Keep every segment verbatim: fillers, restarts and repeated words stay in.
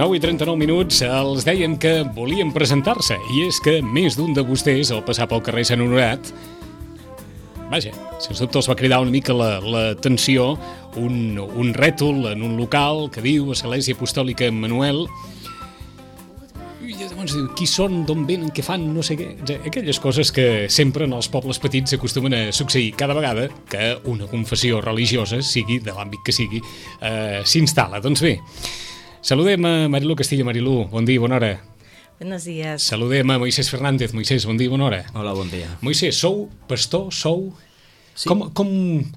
nou i trenta-nou minuts, els deien que volien presentar-se, i és que més d'un de vostès, al passar pel carrer Sant Honorat, vaja, sens dubte els va cridar una mica l'atenció un, un rètol en un local que diu Església Apostòlica Emmanuel, i llavors diu, qui són, d'on venen, què fan, no sé què, aquelles coses que sempre en els pobles petits acostumen a succeir cada vegada que una confessió religiosa, sigui de l'àmbit que sigui, eh, s'instal·la. Doncs bé, saludem a Marilú Castillo. Marilú, bon dia, bona hora. Buenos días. Saludem a Moisés Fernández. Moisés, bon dia, bona hora. Hola, bon dia. Moisés, sou pastor, sou... Sí. Com, com,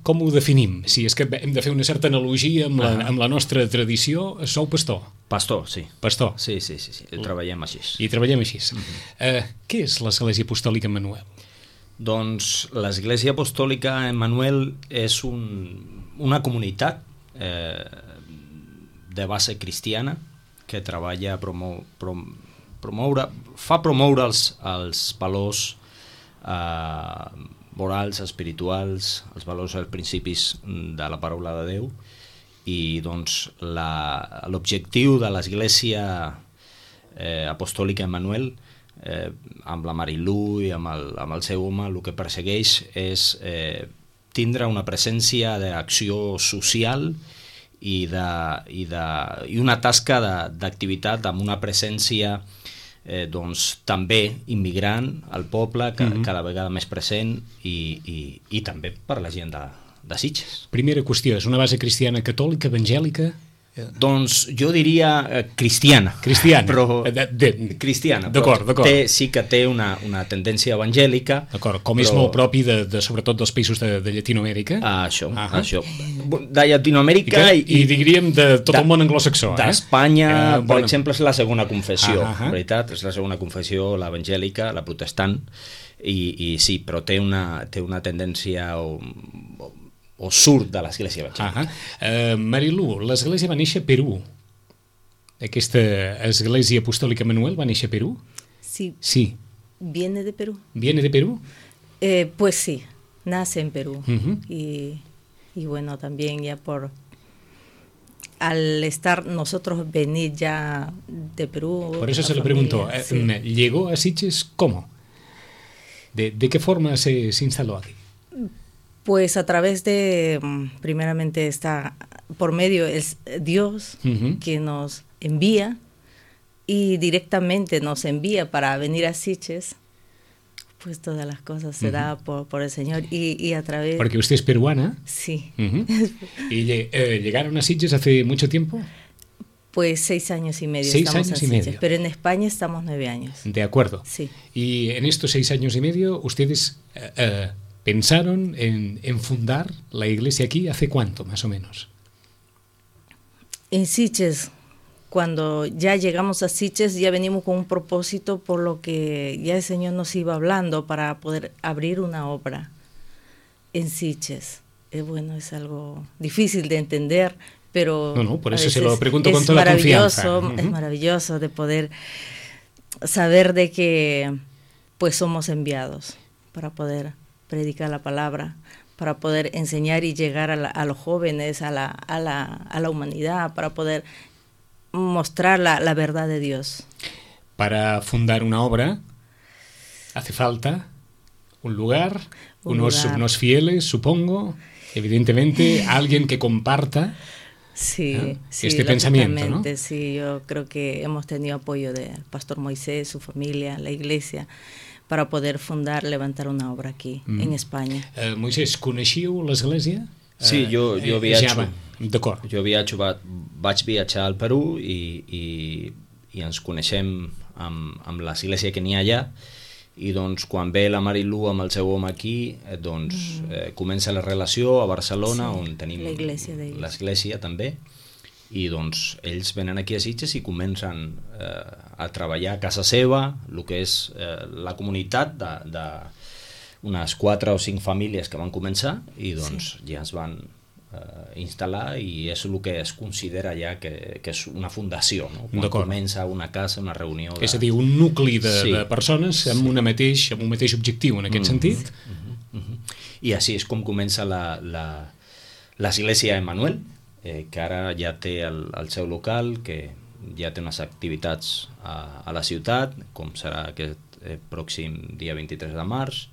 com ho definim? Si és que hem de fer una certa analogia amb la, ah. amb la nostra tradició, sou pastor? Pastor, sí. Pastor. Sí, sí, sí, sí. treballem així. I treballem així. Mm-hmm. eh, què és l'Església Apostòlica Emmanuel? Doncs l'Església Apostòlica Emmanuel és un, una comunitat eh, de base cristiana que treballa a promou, prom, promoure, fa promoure els, els valors eh, morals, espirituals, els valors i els principis de la paraula de Déu, i doncs l'objectiu de l'Església eh, Apostòlica Emmanuel, eh, amb la Marilú i amb el, amb el seu home, el que persegueix és eh, tindre una presència d'acció social i, de, i, de, i una tasca d'activitat amb una presència Eh, doncs, també immigrant al poble, que, mm-hmm. cada vegada més present, i, i, i també per la gent de, de Sitges. Primera qüestió, és una base cristiana catòlica, evangèlica? Doncs jo diria eh, cristiana. Cristiana. Però, de, de, cristiana. D'acord, d'acord. Té, sí que té una, una tendència evangèlica. D'acord, com però... és molt propi de, de, sobretot dels països de, de Llatinoamèrica. Ah, això, uh -huh. això. De Llatinoamèrica I, i, i diríem de tot de, el món anglosaxó. D'Espanya, eh? uh, per bona... exemple, és la segona confessió, uh -huh. veritat? És la segona confessió, l'evangèlica, la protestant, i, i sí, però té una, té una tendència... O, o, o surt de l'Església evangèlica. Uh, Marilú, l'Església va néixer a Perú. Aquesta Església Apostòlica Emmanuel va néixer a Perú? Sí. Sí. ¿Viene de Perú? ¿Viene de Perú? Eh, pues sí, nace en Perú. Uh-huh. y, y bueno, también ya por... Al estar nosotros venir ya de Perú... Por eso se familia, le preguntó, sí. ¿llegó a Sitges cómo? ¿De, de qué forma se, se instaló aquí? Pues a través de, primeramente está por medio es Dios uh-huh. que nos envía y directamente nos envía para venir a Sitges, pues todas las cosas se uh-huh. da por, por el Señor y, y a través... Porque usted es peruana. Sí. Uh-huh. ¿Y eh, llegaron a Sitges hace mucho tiempo? Pues seis años y medio. Seis estamos años en y Sitges, medio. pero en España estamos nueve años. De acuerdo. Sí. Y en estos seis años y medio, ustedes... Uh, uh, ¿pensaron en, en fundar la iglesia aquí hace cuánto, más o menos? En Sitges, cuando ya llegamos a Sitges, ya venimos con un propósito por lo que ya el Señor nos iba hablando para poder abrir una obra en Sitges. Eh, bueno, es algo difícil de entender, pero... No, no, por eso se lo pregunto con toda confianza. Uh-huh. Es maravilloso de poder saber de que pues somos enviados para poder... predicar la palabra, para poder enseñar y llegar a, la, a los jóvenes, a la, a, la, a la humanidad, para poder mostrar la, la verdad de Dios. Para fundar una obra hace falta un lugar, un unos, lugar. unos fieles, supongo, evidentemente, alguien que comparta sí, ¿eh? sí, este pensamiento, ¿no? Sí, yo creo que hemos tenido apoyo del pastor Moisés, su familia, la iglesia, para poder fundar, levantar una obra aquí, mm. en España. Uh, Moisés, coneixíeu l'església? Sí, jo, jo viatjo. D'acord. Jo viatjo, va, vaig viatjar al Perú i, i, i ens coneixem amb, amb l'església que n'hi ha allà, i doncs quan ve la Marilú amb el seu home aquí, eh, doncs mm. eh, comença la relació a Barcelona, sí, on tenim l'església també, i doncs ells venen aquí a Sitges i comencen eh, a treballar a casa seva, el que és eh, la comunitat de, de unes quatre o cinc famílies que van començar, i doncs sí. ja es van eh, instal·lar, i és el que es considera ja que, que és una fundació, no? Quan comença una casa, una reunió de... És a dir, un nucli de, sí. de persones amb, una mateix, amb un mateix objectiu en aquest mm-hmm. sentit. Mm-hmm. Mm-hmm. I així és com comença la, la, l'església Emmanuel, eh, que ara ja té el, el seu local, que ja té unes activitats a, a la ciutat, com serà aquest eh, pròxim dia vint-i-tres de març,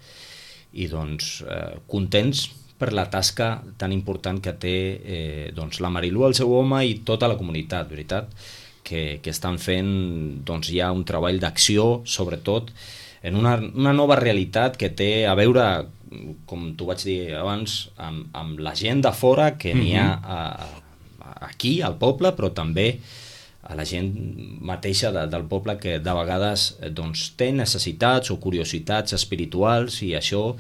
i doncs eh, contents per la tasca tan important que té eh, doncs, la Marilú, el seu home i tota la comunitat, veritat, que, que estan fent doncs, ja un treball d'acció, sobretot en una, una nova realitat que té a veure, com t'ho vaig dir abans, amb, amb la gent de fora que n'hi ha a, a, aquí, al poble, però també a la gent mateixa de, del poble que de vegades doncs, té necessitats o curiositats espirituals, i això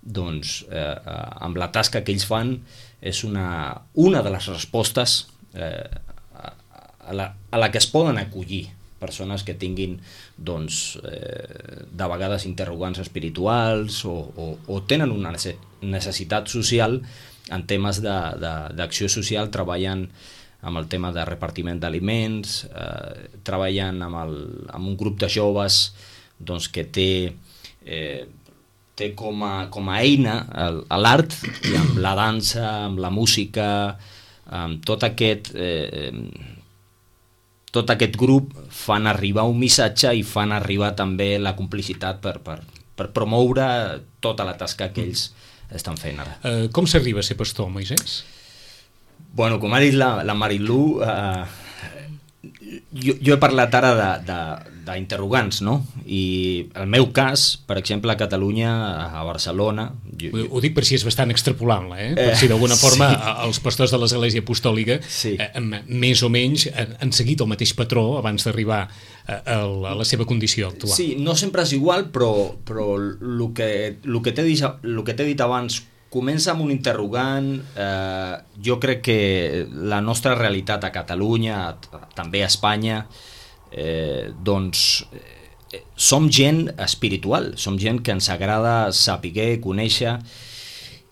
doncs, eh, amb la tasca que ells fan és una, una de les respostes eh, a, a, la, a la que es poden acollir persones que tinguin doncs, eh, de vegades interrogants espirituals o, o, o tenen una necessitat social en temes d'acció social, treballen amb el tema de repartiment d'aliments, eh, treballen amb, el, amb un grup de joves doncs, que té, eh, té com, a, com a eina l'art, i amb la dansa, amb la música, amb tot aquest, eh, tot aquest grup fan arribar un missatge i fan arribar també la complicitat per, per, per promoure tota la tasca que ells estan fent ara. Uh, com s'arriba a ser pastor, Moisès? Bueno, com ha dit la, la Marilú, eh, jo, jo he parlat ara d'interrogants, no? I el meu cas, per exemple, a Catalunya, a Barcelona... Jo, ho, ho dic per si és bastant extrapolable, eh? Per si d'alguna forma sí. Els pastors de l'Església Apostòlica sí. eh, més o menys han seguit el mateix patró abans d'arribar a, a la seva condició actual. Sí, no sempre és igual, però, però el que, el que t'he dit, el que t'he dit abans comença amb un interrogant. Eh, jo crec que la nostra realitat a Catalunya, també a Espanya, eh, doncs eh, som gent espiritual, som gent que ens agrada saber, conèixer,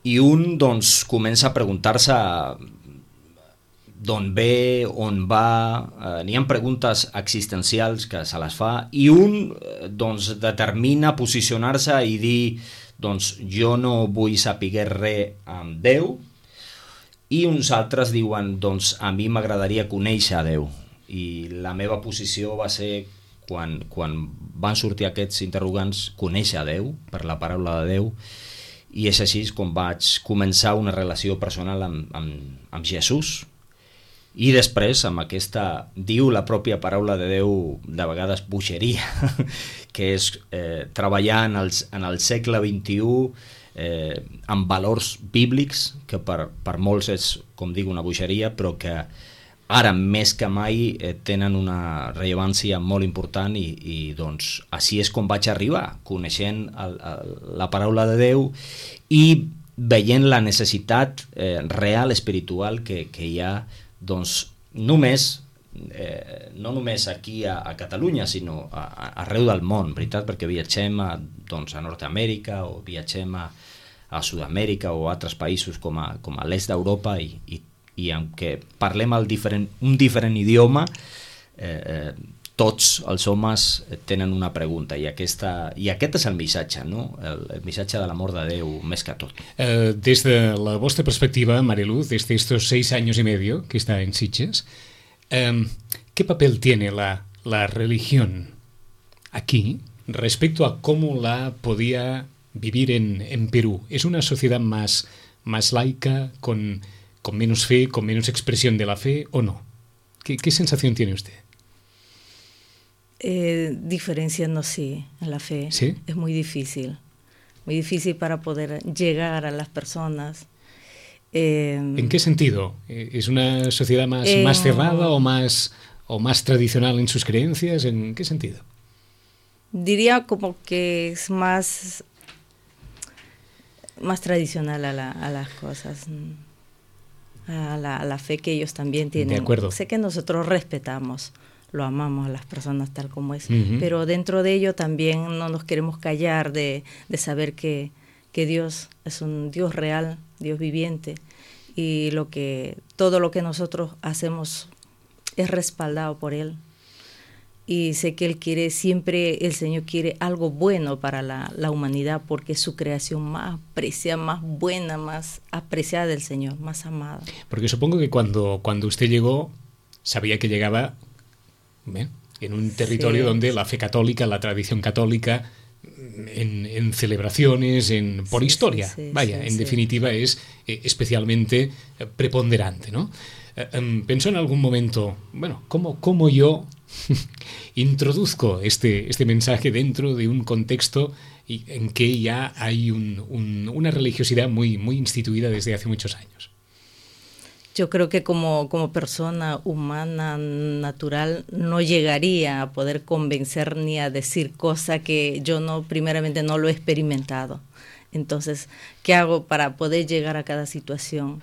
i un doncs comença a preguntar-se d'on ve, on va, eh, n'hi ha preguntes existencials que se les fa, i un doncs determina posicionar-se i dir doncs jo no vull saber res amb Déu, i uns altres diuen doncs a mi m'agradaria conèixer a Déu. I la meva posició va ser, quan, quan van sortir aquests interrogants, conèixer a Déu per la paraula de Déu, i és així com vaig començar una relació personal amb, amb, amb Jesús. I després, amb aquesta, diu la pròpia paraula de Déu, de vegades bogeria, que és eh, treballar en el, en el segle vint-i-u eh, amb valors bíblics, que per, per molts és, com dic, una bogeria, però que ara més que mai eh, tenen una rellevància molt important, i, i doncs així és com vaig arribar, coneixent el, el, la paraula de Déu i veient la necessitat eh, real, espiritual que, que hi ha, doncs només, eh, no només aquí a, a Catalunya, sinó a, a, arreu del món, veritat, perquè viatgem a, doncs, a Nord-Amèrica, o viatgem a, a Sud-amèrica o a altres països com a, com a l'est d'Europa, i, i, i en què parlem el diferent, un diferent idioma, eh, eh, tots els homes tenen una pregunta, i, aquesta, i aquest és el missatge, no? el, el missatge de l'amor de Déu, més que tot. Eh, des de la vostra perspectiva, Mariluz, desde estos seis años y medio que está en Sitges, eh, ¿qué papel tiene la, la religión aquí respecto a cómo la podía vivir en, en Perú? ¿Es una sociedad más, más laica, con, con menos fe, con menos expresión de la fe, o no? ¿Qué, qué sensación tiene usted? Eh, diferenciando, sí, en la fe. ¿Sí? Es muy difícil, muy difícil para poder llegar a las personas. Eh, ¿En qué sentido? ¿Es una sociedad más, eh, más cerrada o más, o más tradicional en sus creencias? ¿En qué sentido? Diría como que es más, más tradicional a, la, a las cosas, a la, a la fe que ellos también tienen. De acuerdo. Sé que nosotros respetamos, lo amamos a las personas tal como es, uh-huh. pero dentro de ello también no nos queremos callar de, de saber que, que Dios es un Dios real, Dios viviente, y lo que todo lo que nosotros hacemos es respaldado por Él. Y sé que Él quiere, siempre el Señor quiere algo bueno para la, la humanidad, porque es su creación más apreciada, más buena, más apreciada del Señor, más amada. Porque supongo que cuando, cuando usted llegó, sabía que llegaba ¿eh? En un territorio sí, donde la fe católica, la tradición católica, en, en celebraciones, en, por sí, historia, sí, sí, vaya, sí, en sí. definitiva es eh, especialmente preponderante, ¿no? Eh, eh, pensó en algún momento, bueno, ¿cómo, cómo yo introduzco este, este mensaje dentro de un contexto y, en que ya hay un, un, una religiosidad muy, muy instituida desde hace muchos años? Yo creo que como, como persona humana, natural, no llegaría a poder convencer ni a decir cosas que yo no, primeramente no lo he experimentado. Entonces, ¿qué hago para poder llegar a cada situación?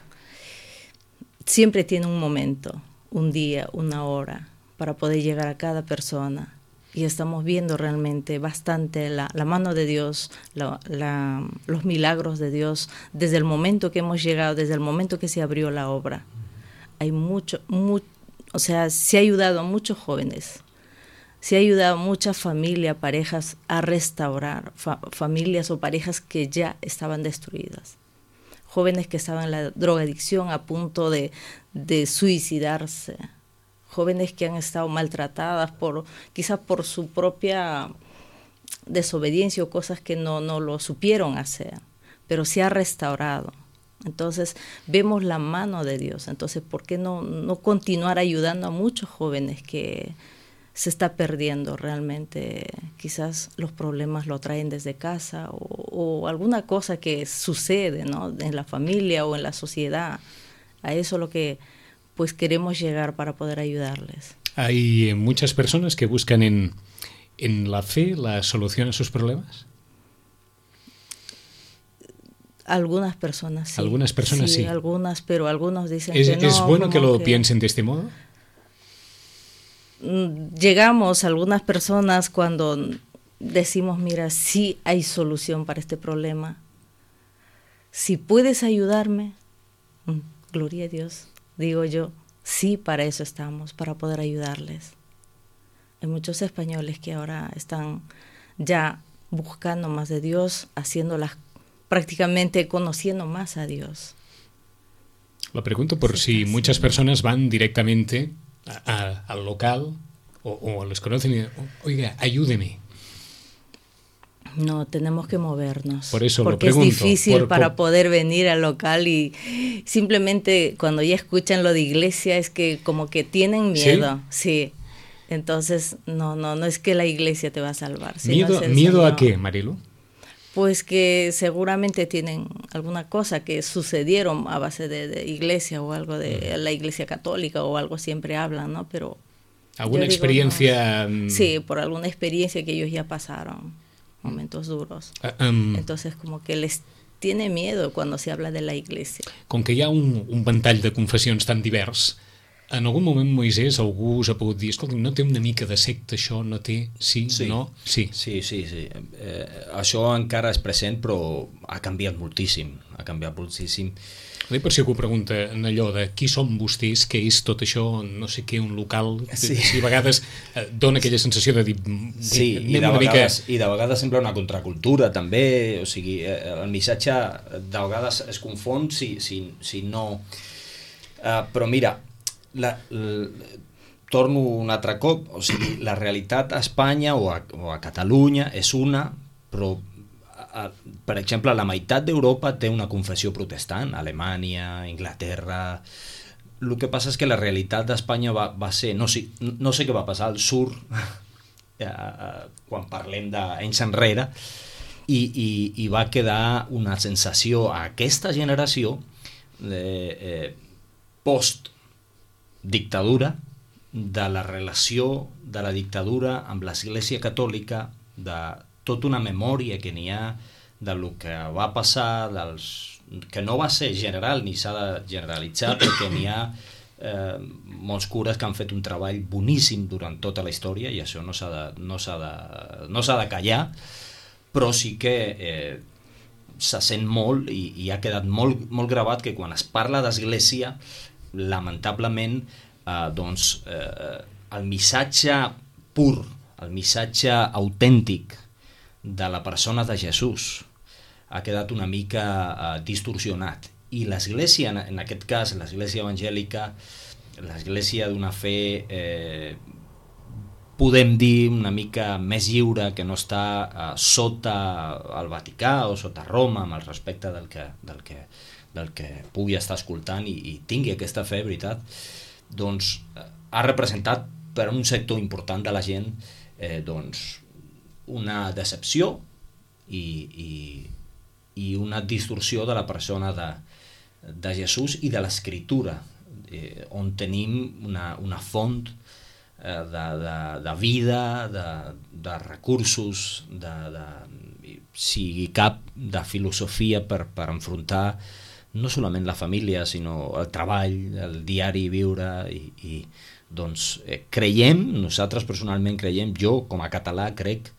Siempre tiene un momento, un día, una hora, para poder llegar a cada persona. Y estamos viendo realmente bastante la, la mano de Dios, la, la, los milagros de Dios, desde el momento que hemos llegado, desde el momento que se abrió la obra. Hay mucho, mu, o sea, se ha ayudado a muchos jóvenes, se ha ayudado a muchas familias, parejas a restaurar, fa, familias o parejas que ya estaban destruidas. Jóvenes que estaban en la drogadicción a punto de, de suicidarse. Jóvenes que han estado maltratadas por quizás por su propia desobediencia o cosas que no, no lo supieron hacer, pero se ha restaurado. Entonces vemos la mano de Dios. Entonces, ¿por qué no, no continuar ayudando a muchos jóvenes que se está perdiendo realmente? Quizás los problemas lo traen desde casa o, o alguna cosa que sucede, ¿no?, en la familia o en la sociedad. A eso es lo que pues queremos llegar para poder ayudarles. ¿Hay muchas personas que buscan en, en la fe la solución a sus problemas? Algunas personas sí. Algunas personas sí. sí. Algunas, pero algunos dicen ¿Es, que no. ¿Es bueno que lo que... piensen de este modo? Llegamos a algunas personas cuando decimos, mira, sí hay solución para este problema. Si puedes ayudarme, gloria a Dios. Digo yo, sí, para eso estamos, para poder ayudarles. Hay muchos españoles que ahora están ya buscando más de Dios, haciéndolas, prácticamente conociendo más a Dios. Lo pregunto por sí, si muchas sí. personas van directamente a, a, al local o, o les conocen y oiga, ayúdeme. No, tenemos que movernos. Por eso porque lo pregunto, es difícil por, por... para poder venir al local y simplemente cuando ya escuchan lo de iglesia es que como que tienen miedo. Sí. sí. Entonces, no, no, no es que la iglesia te va a salvar. ¿Miedo, ¿miedo a qué, Marilu? Pues que seguramente tienen alguna cosa que sucedieron a base de, de iglesia o algo de la iglesia católica o algo, siempre hablan, ¿no? Pero ¿alguna digo, experiencia? No, sí, por alguna experiencia que ellos ya pasaron, momentos duros. Uh, um, Entonces como que les tiene miedo cuando se habla de la iglesia. Com que hi ha un, un ventall de confessions tan divers, en algun moment, Moisès, algú us ha pogut dir, escolta, no té una mica de secta això, no té, sí, sí. no? Sí, sí, sí. sí. Eh, això encara és present, però ha canviat moltíssim, ha canviat moltíssim. Bé, per si algú pregunta en allò de qui són vostès, què és tot això, no sé què, un local, sí. si a vegades eh, dona aquella sensació de dir... Sí, i de, vegades, mica... i de vegades sembla una contracultura també, o sigui, el missatge de vegades es confon si, si, si no... Uh, però mira, la, la, torno un altre cop, o sigui, la realitat a Espanya o a, o a Catalunya és una, però a, per exemple la meitat d'Europa té una confessió protestant, Alemanya, Inglaterra. El que passa és que la realitat d'Espanya va, va ser, no sé, no sé què va passar al sur quan parlem d'anys enrere, i, i, i va quedar una sensació a aquesta generació de, eh, post dictadura, de la relació de la dictadura amb l'Església Catòlica, de tota una memòria que n'hi ha del que va passar, dels, que no va ser general ni s'ha de generalitzar, perquè n'hi ha eh, molts cures que han fet un treball boníssim durant tota la història i això no s'ha de, no s'ha de, no s'ha de callar, però sí que eh, se sent molt i, i ha quedat molt, molt gravat que quan es parla d'Església, lamentablement, eh, doncs, eh, el missatge pur, el missatge autèntic de la persona de Jesús ha quedat una mica eh, distorsionat. I l'Església, en, en aquest cas, l'Església evangèlica, l'Església d'una fe eh, podem dir, una mica més lliure, que no està uh, sota el Vaticà o sota Roma, amb el respecte del que, del que, del que pugui estar escoltant i, i tingui aquesta fe, veritat, doncs uh, ha representat per a un sector important de la gent eh, doncs, una decepció i, i, i una distorsió de la persona de, de Jesús i de l'Escriptura, eh, on tenim una, una font De, de, de vida, de, de recursos, de, de, si cap de filosofia per, per enfrontar no solament la família, sinó el treball, el diari viure, i, i doncs eh, creiem, nosaltres personalment creiem, jo com a català crec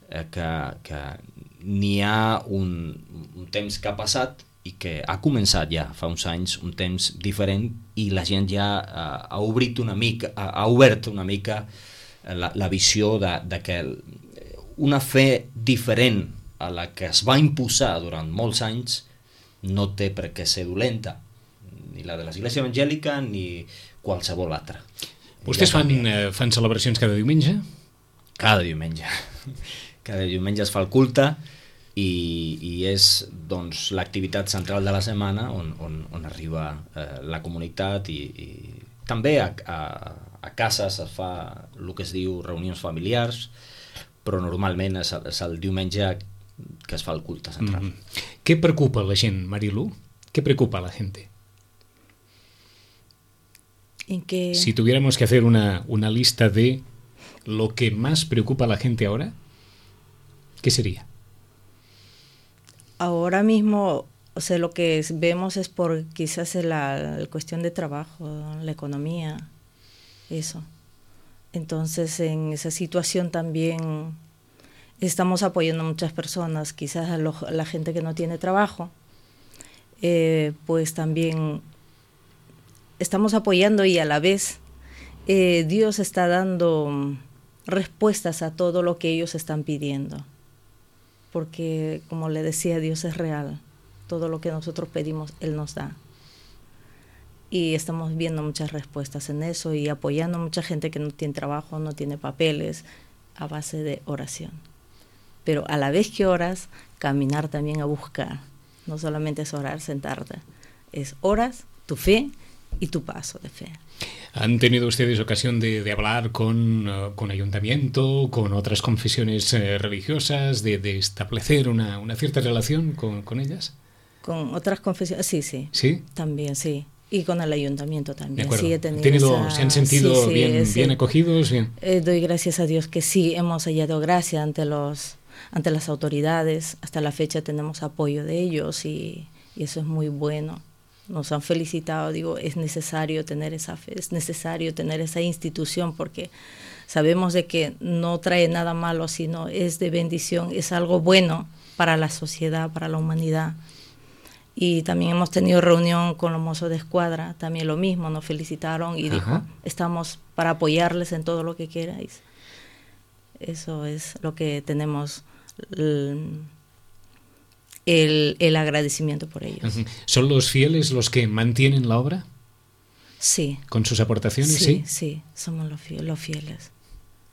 eh, que, que n'hi ha un, un temps que ha passat i que ha començat ja fa uns anys un temps diferent i la gent ja uh, ha obrit una mica, ha, ha obert una mica la, la visió de, de que una fe diferent a la que es va imposar durant molts anys no té per què ser dolenta, ni la de l'Església Evangèlica ni qualsevol altra. Vostès fan, eh, fan celebracions cada diumenge? Cada diumenge. Cada diumenge es fa el culte i, i és doncs, l'activitat central de la setmana on, on, on arriba eh, la comunitat i, i també a, a, a cases es fa el que es diu reunions familiars, però normalment és, és el diumenge que es fa el culte central. Mm-hmm. ¿Qué preocupa a la gent, Marilu? ¿Qué preocupa a la gente? ¿En qué? Si tuviéramos que hacer una, una lista de lo que más preocupa a la gente ahora, ¿qué sería? Ahora mismo, o sea, lo que es, vemos es por quizás la, la cuestión de trabajo, la economía, eso. Entonces, en esa situación también estamos apoyando a muchas personas, quizás a, lo, a la gente que no tiene trabajo, eh, pues también estamos apoyando y a la vez eh, Dios está dando respuestas a todo lo que ellos están pidiendo. Porque, como le decía, Dios es real. Todo lo que nosotros pedimos, Él nos da. Y estamos viendo muchas respuestas en eso y apoyando a mucha gente que no tiene trabajo, no tiene papeles, a base de oración. Pero a la vez que oras, caminar también a buscar. No solamente es orar, sentarte. Es oras, tu fe y tu paso de fe. ¿Han tenido ustedes ocasión de, de hablar con, uh, con ayuntamiento, con otras confesiones eh, religiosas, de, de establecer una, una cierta relación con, con ellas? Con otras confesiones, sí, sí. ¿Sí? También, sí. Y con el ayuntamiento también. De acuerdo. Sí, he tenido ¿Tenido, esa... ¿Se han sentido sí, sí, bien, sí. bien acogidos? Bien. Eh, doy gracias a Dios que sí, hemos hallado gracia ante, los, ante las autoridades. Hasta la fecha tenemos apoyo de ellos y, y eso es muy bueno. Nos han felicitado, digo, es necesario tener esa fe, es necesario tener esa institución porque sabemos de que no trae nada malo, sino es de bendición, es algo bueno para la sociedad, para la humanidad. Y también hemos tenido reunión con los mozos de escuadra, también lo mismo, nos felicitaron y Ajá. dijo, estamos para apoyarles en todo lo que queráis. Eso es lo que tenemos... El, el agradecimiento por ellos. ¿Son los fieles los que mantienen la obra? Sí. ¿Con sus aportaciones? Sí, sí, sí, somos los fieles. Los fieles.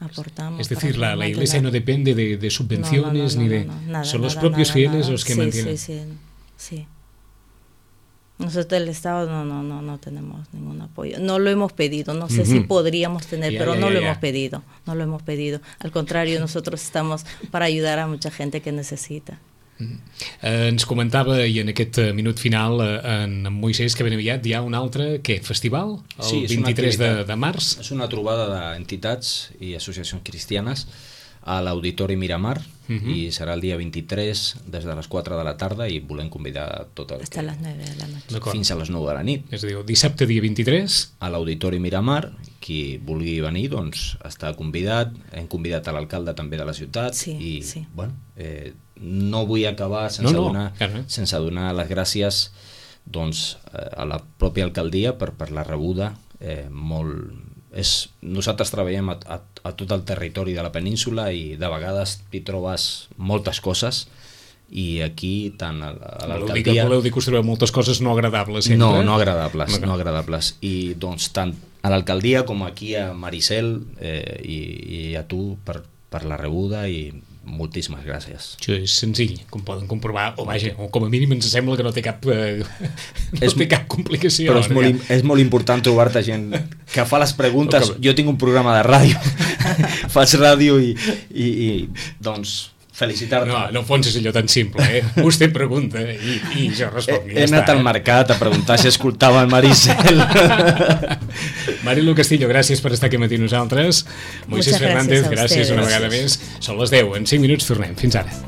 Aportamos. Es decir, la, la iglesia no depende de, de subvenciones no, no, no, ni de... No, no, nada, son los nada, propios nada, fieles nada. los que sí, mantienen. Sí, sí, sí. Nosotros el Estado no, no, no, no tenemos ningún apoyo. No lo hemos pedido, no sé uh-huh. si podríamos tener, ya, pero ya, no ya, lo ya. hemos pedido, no lo hemos pedido. Al contrario, nosotros estamos para ayudar a mucha gente que necesita. Eh, ens comentava, i en aquest minut final, eh, en Moisès, que ben aviat hi ha un altre, què, festival? El sí, vint-i-tres de, de març? És una trobada d'entitats i associacions cristianes a l'Auditori Miramar uh-huh. i serà el dia vint-i-tres des de les quatre de la tarda i volem convidar tot el Hasta que... les nueve de la noche. Fins a les nou de la nit. És a dir, dissabte dia vint-i-tres a l'Auditori Miramar, qui vulgui venir doncs està convidat, hem convidat a l'alcalde també de la ciutat sí, i sí. bueno, eh, no vull acabar sense, no, no, donar, claro. sense donar les gràcies doncs, a la pròpia alcaldia per, per la rebuda eh, molt... És, nosaltres treballem a, a, a tot el territori de la península i de vegades hi trobes moltes coses i aquí tant a, a l'alcaldia... Voleu dir que us trobeu moltes coses no agradables sempre? No, no agradables, no, no agradables. I doncs tant a l'alcaldia com aquí a Maricel eh, i, i a tu per, per la rebuda i moltíssimes gràcies. Això és senzill, com poden comprovar, o vaja, o com a mínim ens sembla que no té cap, eh, no és, té cap complicació. Però és molt, és molt important trobar-te gent que fa les preguntes. Com... Jo tinc un programa de ràdio, faig ràdio i, i, i doncs felicitar-te. No, no fons és allò tan simple, eh? Vostè pregunta i, i jo responc. He, he anat està, al eh? mercat a preguntar si escoltava el Maricel. Marilu Castillo, gràcies per estar aquí amb nosaltres. Moisés Fernández, gràcies una vegada més. Són les deu, en cinc minuts tornem. Fins ara.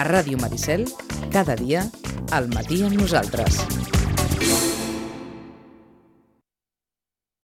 A Ràdio Maricel, cada dia, al matí amb nosaltres.